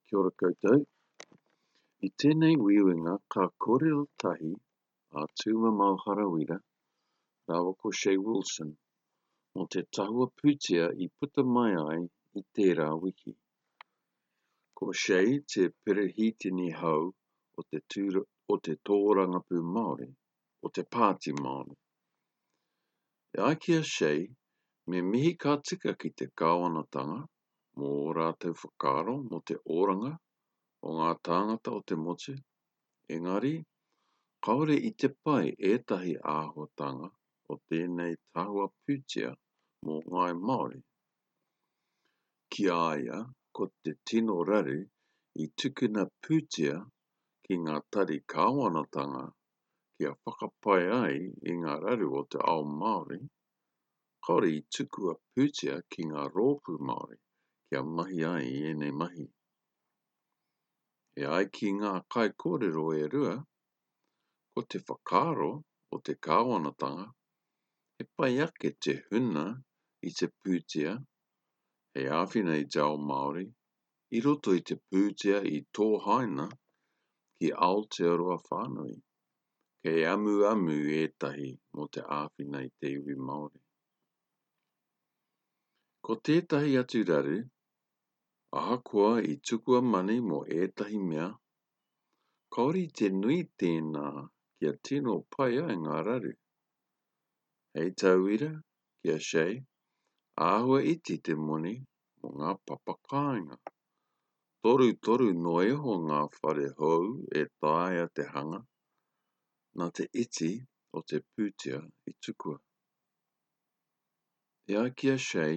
Kia ora koutou. I tēnei uiuinga ka kōrero tahi a Tūmamao Harawira rāua ko Che Wilson mō te tahua pūtea i puta mai ai i tērā wiki. Ko Che te perehitini hou o te, o te tōrangapū Māori, o te Pāti Māori. E ai ki a Che, me mihi ka tika ki te kāwanatanga mō ō rātou whakaaro mō te oranga o ngā tāngata o te motu, engari, kāore i te pai ētahi āhuatanga o tēnei tahua pūtea mō ngāi Māori. Ki a ia, ko te tino raru i tukuna pūtea ki ngā tari kāwanatanga kia whakapai ai i ngā raru o te ao Māori, Kāore i tukua pūtea ki ngā rōpū Māori kia mahi ai i ēnei mahi. E ai ki ngā kaikōrero e rua, ko te whakaaro o te kāwanatanga he pai ake te huna i te pūtea hei āwhina i te ao Māori i roto i te pūtea i tohaina ki Aotearoa whānui. Kei amuamu ētahi mō te āwhina i te iwi Māori. Ko tētahi atu raru, ahakoa i tukua mani mō ētahi mea, kāore i te nui tēnā kia tino pai ai ngā raru. Hei tauira, ki a Che, āhua iti te moni mō ngā papa kāinga. Torutoru noa iho ngā whare hou e taea te hanga, nā te iti o te pūtea i tukua. E ai ki a Che,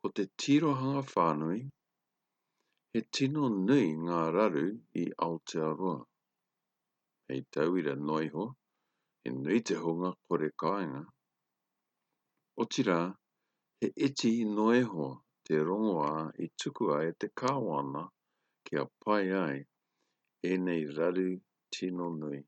ko te tirohanga whānui, he tino nui ngā raru i Aotearoa. Hei tauira noa iho, he nui te hunga kore kāinga. Otirā, he iti noa iho te rongoā i tukua e te Kāwana kia pai ai ēnei raru tino nui.